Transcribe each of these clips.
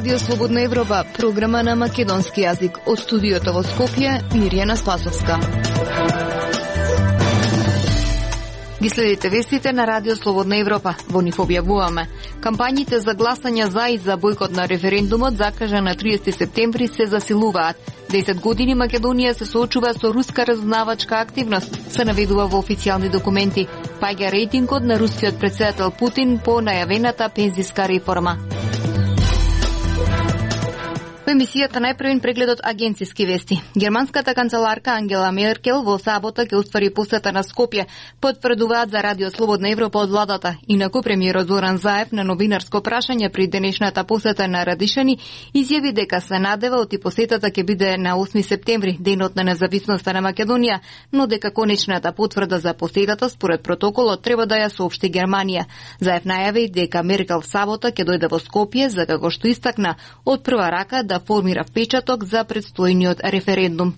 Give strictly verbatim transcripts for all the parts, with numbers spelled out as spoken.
Радио Слободна Европа, програма на македонски јазик. Од студиото во Скопје, Мирјана Спасовска. Ги следите вестите на Радио Слободна Европа. Во нив објавуваме: кампањите за гласање за и за бојкот на референдумот закажан на триесети септември се засилуваат. десет години Македонија се соочува со руска разузнавачка активност, се наведува во официјални документи. Паѓа рейтингот на рускиот претседател Путин по најавената пензиска реформа. Во емисијата најпрвен прегледот агенциски вести. Германската канцеларка Ангела Меркел во сабота ќе оствари посета на Скопје, потврдуваат за Радио Слободна Европа од владата. Инаку премиерот Зоран Заев на новинарско прашање при денешната посета на Радишани изјави дека се надева и посетата ќе биде на осми септември, денот на независноста на Македонија, но дека конечната потврда за посетата според протоколот треба да ја соопшти Германија. Заев најави дека Меркел в сабота ќе дојде во Скопје за како што истакна од прва рака да формира впечаток за предстојниот референдум.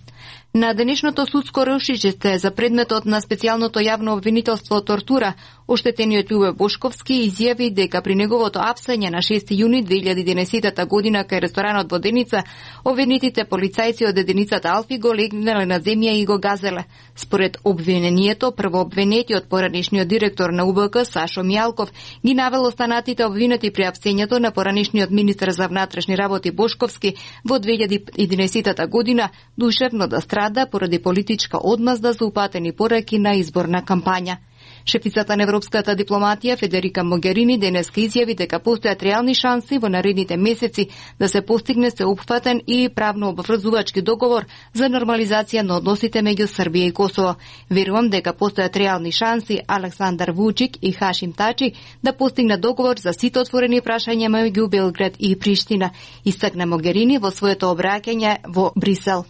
На денешното судско рушичество за предметот на специјалното јавно обвинителство тортура, оштетениот Љубе Бошковски изјави дека при неговото апсење на шести јуни две илјади и единаесетта година кај ресторанот во Деница, обвинетите полицајци од единицата Алфи го легнале на земја и го газеле. Според обвинението, првообвинетиот поранешниот директор на У Б К Сашо Мијалков ги навел останатите обвинети при апсењето на поранешниот министер за внатрешни работи Бошковски во две илјади и единаесетта година душевно да страда поради политичка одмазда за упатени пораки на изборна кампања. Шефицата на европската дипломатија Федерика Могерини денеска изјави дека постојат реални шанси во наредните месеци да се постигне сеопфатен и правно обврзувачки договор за нормализација на односите меѓу Србија и Косово. Верувам дека постојат реални шанси Александар Вучик и Хашим Тачи да постигнат договор за сите отворени прашања меѓу Белград и Приштина, истакна Могерини во своето обраќање во Брисел.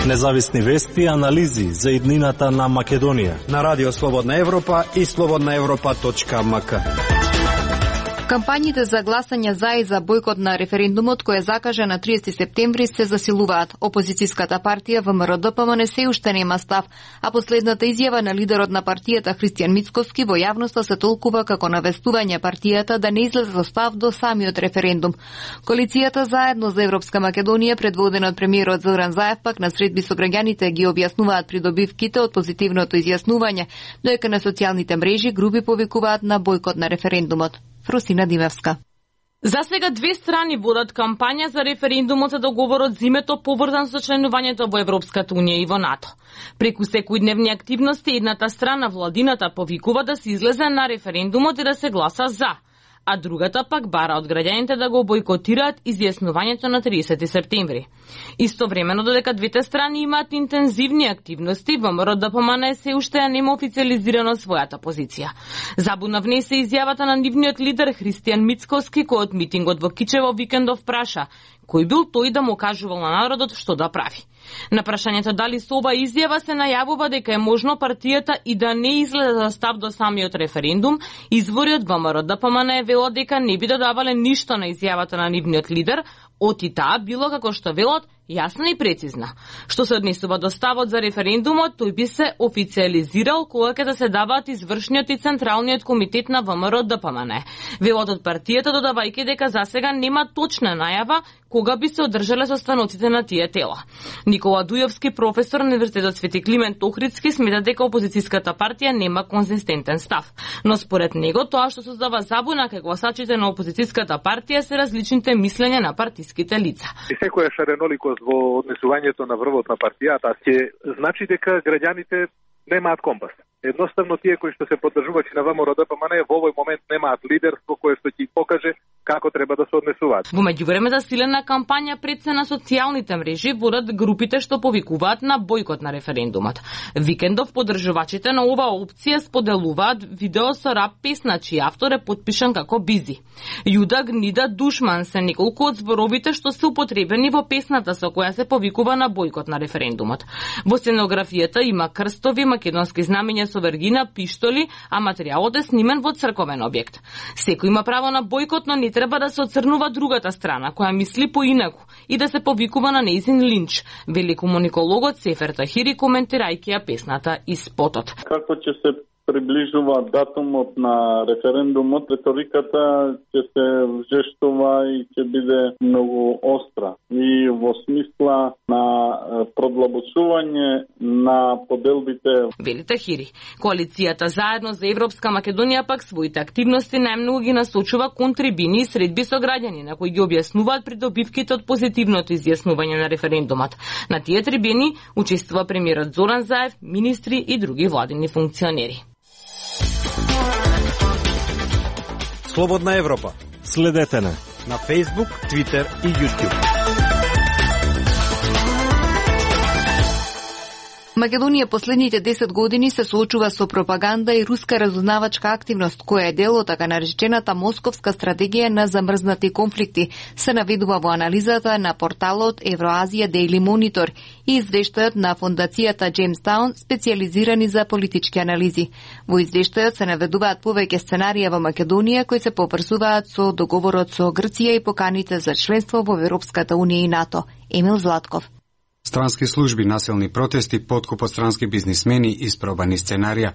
Независни вести и анализи за иднината на Македонија на Радио Слободна Европа и слободна европа точка ем ка. Кампањите за гласање за и за бојкот на референдумот кој е закажан на триесети септември се засилуваат. Опозицијската партија Вэ Ем Р Д П М Н се уште нема став, а последната изјава на лидерот на партијата Христијан Мицкоски во јавноста се толкува како навестување партијата да не излезе со став до самиот референдум. Коалицијата Заедно за Европска Македонија, предводена од премиерот Зоран Заев, пак на средби со граѓаните ги објаснуваат придобивките од позитивното изјаснување, додека на социјалните мрежи групи повикуваат на бојкот на референдумот. Фрусина Димевска. За сега две страни водат кампања за референдумот за договорот зимето поврзан со членувањето во Европската унија и во НАТО. Преку секојдневни активности едната страна, владината, повикува да се излезе на референдумот и да се гласа за, а другата пак бара од граѓаните да го бойкотираат изјаснувањето на триесети септември. Истовремено, додека двете страни имаат интензивни активности, Вэ Ем Р Д П М Н се уште нема официализирано својата позиција. Забуна внесе изјавата на нивниот лидер Христијан Мицкоски, кој од митингот во Кичево викендов праша кој бил тој да му кажувал на народот што да прави. На прашањето дали со ова изјава се најавува дека е можно партијата и да не излезе за став до самиот референдум, извори од Вэ Ем Р Д П М Н велат дека не би додавале ништо на изјавата на нивниот лидер, оти таа било како што велат јасна и прецизна. Што се однесува до ставот за референдумот, тој би се официализирал кога ќе да се даваат извршниот и централниот комитет на Вэ Ем Р Д П М Н. Велат од партијата додавајќи дека за сега нема точна најава кога би се одржале состаноците на тие тела. Никола Дујовски, професор на Универзитетот Свети Климент Охридски, смета дека опозицијската партија нема конзистентен став. Но според него тоа што создава забуна кај гласачите на опозицијската партија се различните мислења на партиските лица. И секоја шареноликост во однесувањето на врвот на партијата ќе значи дека граѓаните немаат компас. Едноставно тие кои што се поддржувачи на Вэ Ем Р Д П М Н во овој момент немаат лидерство кое што ќе покаже како треба да се однесуваат. Во меѓувреме засилена кампања пред се на социјалните мрежи водат групите што повикуваат на бојкот на референдумот. Викендов поддржувачите на оваа опција споделуваат видео со рап песна чиј автор е потпишан како Бизи. Јуда, гнида, душман се неколку од зборовите што се употребени во песната со која се повикува на бојкот на референдумот. Во сценографијата има крстови, македонски знамења со вергина, пиштоли, а материјалот е снимен во црковен објект. Секој има право на бојкот, но не треба да се оцрнува другата страна, која мисли поинаку и да се повикува на нејзин линч, вели комуникологот Сефер Тахири, коментирајќи ја песната и спотот. Како ќе се приближува датумот на референдумот, реториката ќе се вжештува и ќе биде многу остра. И во смисла на продлабочување на поделбите. Вели Тахири. Коалицијата Заедно за Европска Македонија пак своите активности најмногу ги насочува кон трибини и средби со граѓани, на кои ги објаснуваат придобивките од позитивното изјаснување на референдумот. На тие трибини учествува премиерот Зоран Заев, министри и други владини функционери. Слободна Европа. Следете не на Facebook, Twitter и YouTube. Македонија последните десет години се соочува со пропаганда и руска разузнавачка активност, која е дел од така наречената московска стратегија на замрзнати конфликти, се наведува во анализата на порталот Евроазија Daily Monitor и извештајот на фондацијата Jamestown, специализирани за политички анализи. Во извештајот се наведуваат повеќе сценарија во Македонија кои се поврзуваат со договорот со Грција и поканите за членство во Европската унија и НАТО. Емил Златков. Странски служби, насилни протести, подкуп од странски бизнисмени и испробани сценарија.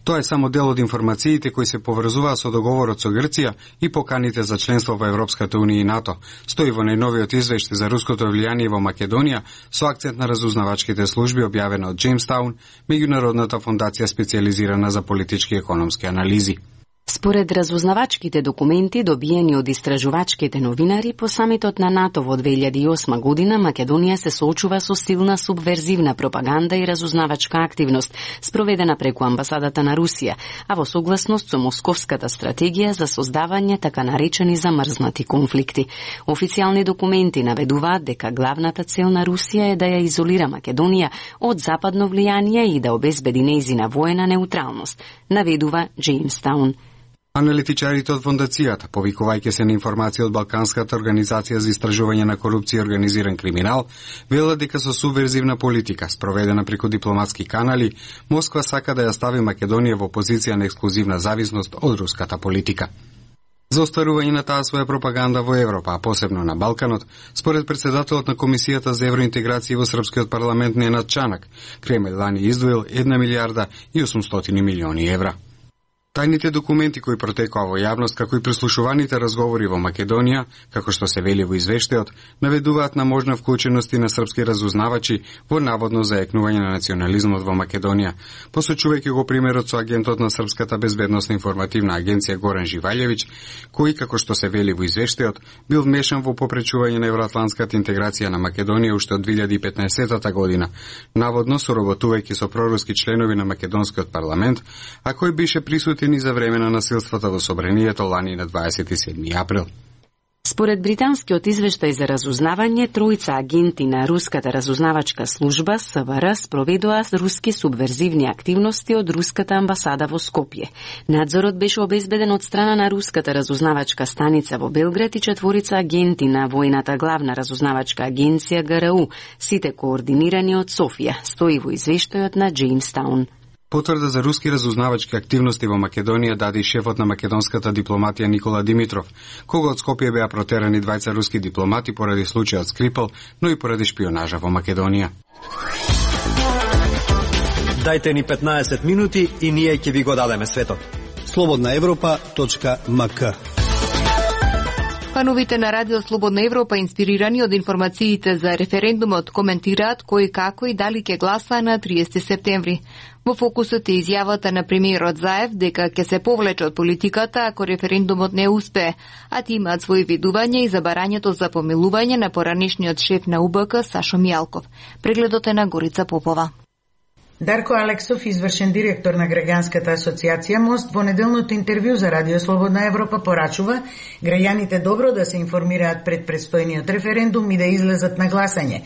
Тоа е само дел од информациите кои се поврзуваат со договорот со Грција и поканите за членство во Европската унија и НАТО. Стои во најновиот извештај за руското влијание во Македонија со акцент на разузнавачките служби објавена од Jamestown, меѓународната фондација специализирана за политички и економски анализи. Според разузнавачките документи добиени од истражувачките новинари по самитот на НАТО во две илјади и осма година, Македонија се соочува со силна субверзивна пропаганда и разузнавачка активност, спроведена преку амбасадата на Русија, а во согласност со московската стратегија за создавање така наречени замрзнати конфликти. Официјални документи наведуваат дека главната цел на Русија е да ја изолира Македонија од западно влијание и да обезбеди нејзина воена неутралност, наведува Jamestown. Аналитичарите од фондацијата, повикувајќи се на информација од Балканската организација за истражување на корупција и организиран криминал, велат дека со субверзивна политика, спроведена преку дипломатски канали, Москва сака да ја стави Македонија во позиција на ексклузивна зависност од руската политика. За остварување на таа своја пропаганда во Европа, а посебно на Балканот, според председателот на Комисијата за евроинтеграција во Српскиот парламент Ненад Чанак, Кремљ лани издвоил една милијарда и осумстотини милиони евра. Тајните документи кои протекоа во јавност, како и прислушуваните разговори во Македонија, како што се вели во извештајот, наведуваат на можна вклученост на српски разузнавачи во наводно заекнување на национализмот во Македонија, посочувајќи го примерот со агентот на Српската безбедносна информативна агенција Горан Живаљевиќ, кој, како што се вели во извештајот, бил вмешан во попречување на евроатлантската интеграција на Македонија уште од две илјади и петнаесетта година, наводно соработувајќи со проруски членови на македонскиот парламент, а кој беше присутен и за време на насилствата во собранието лани на дваесет и седми април. Според британскиот извештај за разузнавање, тројца агенти на руската разузнавачка служба С В Р спроведоа руски субверзивни активности од руската амбасада во Скопје. Надзорот беше обезбеден од страна на руската разузнавачка станица во Белград и четворица агенти на војната главна разузнавачка агенција Г Р У, сите координирани од Софија, стои во извештајот на Jamestown. Потврда за руски разузнавачки активности во Македонија даде и шефот на македонската дипломатија Никола Димитров, кога од Скопје беа протерани двајца руски дипломати поради случајот Скрипал, но и поради шпионажа во Македонија. Дајте ни петнаесет минути и ние ќе ви го дадеме светот. слободна европа точка м к. Фановите на Радио Слободна Европа, инспирирани од информациите за референдумот, коментираат кој како и дали ќе гласа на триесети септември. Во фокусот е изјавата на премиерот Заев дека ќе се повлече од политиката ако референдумот не успее, а ти имаат своји видувања и за барањето за помилување на поранешниот шеф на У Б К Сашо Мијалков. Прегледот е на Горица Попова. Дарко Алексов, извршен директор на Граѓанската асоциација Мост, во неделното интервју за Радио Слободна Европа порачува граѓаните добро да се информираат пред предстојниот референдум и да излезат на гласање.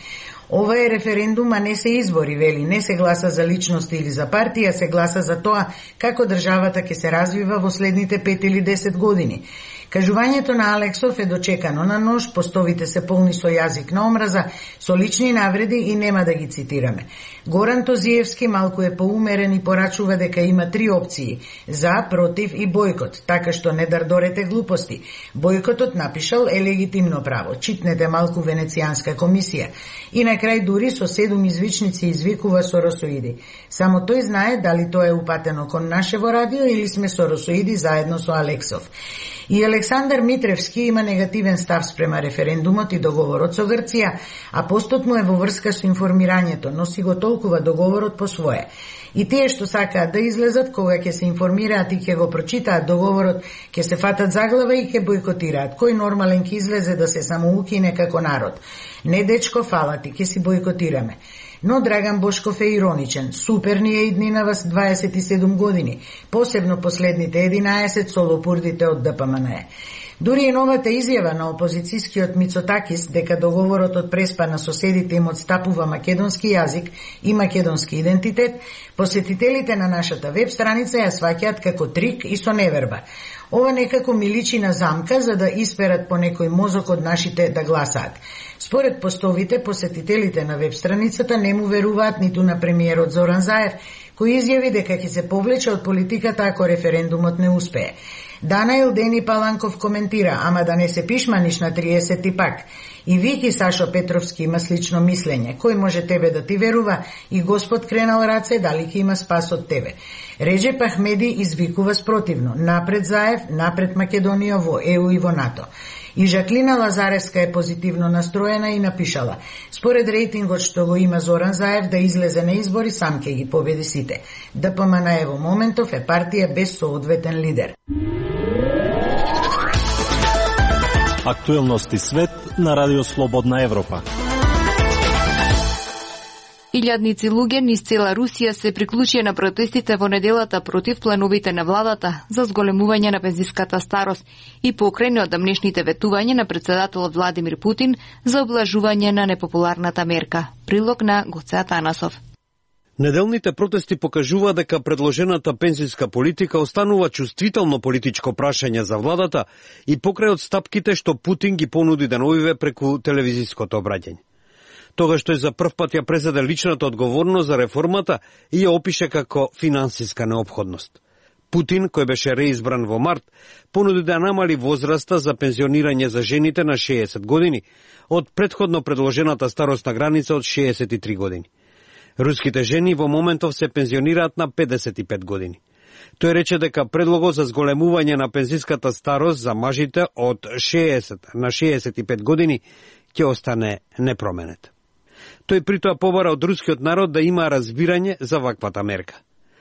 Ова е референдум, а не се избори, вели, не се гласа за личност или за партија, се гласа за тоа како државата ќе се развива во следните пет или десет години. Кажувањето на Алексов е дочекано на нож, постовите се полни со јазик на омраза, со лични навреди и нема да ги цитираме. Горан Тозиевски малку е поумерен и порачува дека има три опции: за, против и бојкот, така што не дардорете глупости. Бојкотот, напишал, е легитимно право. Читнете малку Венецијанска комисија. И на крај дури со седум извичници извикува соросоиди. Само тој знае дали тоа е упатено кон нашево радио или сме соросоиди заедно со Алексов. И Александар Митревски има негативен став спрема референдумот и договорот со Грција, а постот му е во врска со информирањето, но си го толкува договорот по своje. И тие што сакаат да излезат, кога ќе се информираат и ќе го прочитаат договорот, ќе се фатат за глава и ќе бојкотираат. Кој нормален ќе излезе да се самоукине како народ? Не, дечко, фала ти, ќе си бојкотираме. Но Драган Бошков е ироничен. Супер ни е иднинава с дваесет и седум години, посебно последните единаесет со лопурдите од Д П М Н Е. Дури и новата изјава на опозицијскиот Мицотакис дека договорот од преспа на соседите им отстапува македонски јазик и македонски идентитет, посетителите на нашата веб страница ја сваќаат како трик и со неверба. Ова некако ми личи на замка за да исперат по некој мозок од нашите да гласаат. Според постовите, посетителите на веб страницата не му веруваат ниту на премиерот Зоран Заев, кој изјави дека ќе се повлече од политиката ако референдумот не успее. Данаил Дени Паланков коментира: ама да не се пишманиш на триесет пак. И Вики Сашо Петровски има слично мислење. Кој може тебе да ти верува? И Господ кренал раце, дали ќе има спас од тебе? Реджеп Ахмеди извикува спротивно: напред Заев, напред Македонија во Е У и во НАТО. И Жаклина Лазаревска е позитивно настроена и напишала: според рейтингот што го има Зоран Заев да излезе на избори, сам ќе ги победи сите. Д П М Н Е во моментов е партија без соодветен лидер. Актуелности свет на Радио Слободна Европа. Илјадници луѓе низ цела Русија се приклучија на протестите во неделата против плановите на владата за зголемување на пензиската старост и покрај одамнешните ветувања на председателот Владимир Путин за облажување на непопуларната мерка. Прилог на Гоце Атанасов. Неделните протести покажува дека предложената пензиска политика останува чувствително политичко прашање за владата и покрај одстапките што Путин ги понуди деновиве преку телевизиското обраќање. Тогаш тој за прв пат ја презеде личната одговорност за реформата и ја опише како финансиска неопходност. Путин, кој беше реизбран во март, понуди да намали возраста за пензионирање за жените на шеесет години од претходно предложената старосна граница од шеесет и три години. Руските жени во моментов се пензионираат на педесет и пет години. Тој рече дека предлогот за зголемување на пензиската старост за мажите од шеесет на шеесет и пет години ќе остане непроменет. Тој притоа побара од рускиот народ да има разбирање за ваквата мерка.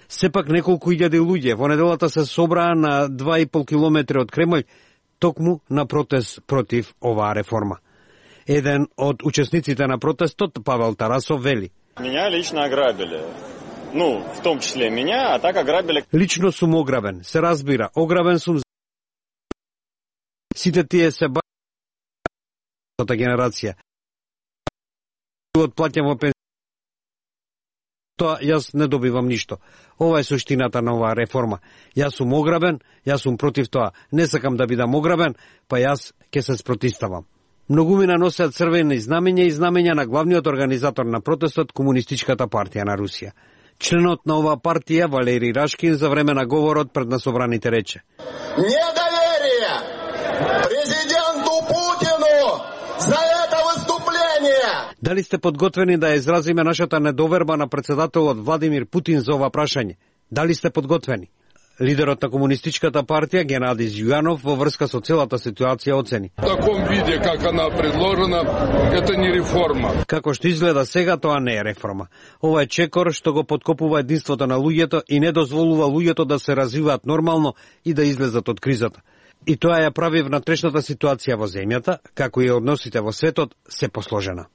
Сепак неколку илјади луѓе во неделата се собраа на два и пол километри од Кремљ токму на протест против оваа реформа. Еден од учесниците на протестот, Павел Тарасов, вели: Меня лично ограбили. Ну, в том числе меня, а так ограбили. Лично сум ограбен, се разбира, ограбен сум. Сите тие се ба... генерација. Отплатям во пензија. Тоа јас не добивам ништо. Ова е суштината на оваа реформа. Јас сум ограбен, јас сум против тоа. Не сакам да бидам ограбен, па јас ќе се спротивставам. Многумина носеат црвени знамења и знамења на главниот организатор на протестот, Комунистичката партија на Русија. Членот на оваа партија, Валерий Рашкин, за време на говорот пред насобраните рече: Недоверие президенту Путину за это выступление. Дали сте подготвени да изразиме нашата недоверба на председателот Владимир Путин за ова прашање? Дали сте подготвени? Лидерот на Комунистичката партија Геннади Зюјанов во врска со целата ситуација оцени: В таком виде как она предложена, это не реформа. Како што изгледа сега, тоа не е реформа. Ова е чекор што го поткопува единството на луѓето и не дозволува луѓето да се развиваат нормално и да излезат од кризата. И тоа ја прави внатрешната ситуација во земјата, како и односите во светот, се посложена.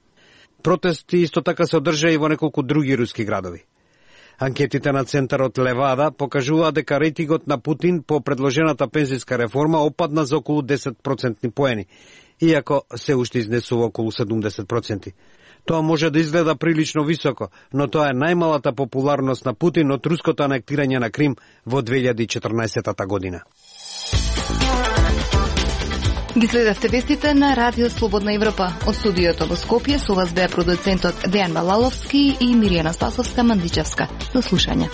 Протести исто така се одржаа и во неколку други руски градови. Анкетите на центарот Левада покажуваат дека рейтингот на Путин по предложената пензиска реформа опадна за околу десет процентни поени, иако се уште изнесува околу седумдесет проценти. Тоа може да изгледа прилично високо, но тоа е најмалата популарност на Путин од руското анектирање на Крим во две илјади и четрнаесетта година. Ги следевте вестите на Радио Слободна Европа. Од студиото во Скопје со вас беа продуцентот Дејан Балаловски и Миријана Спасовска-Мандичевска. До слушање.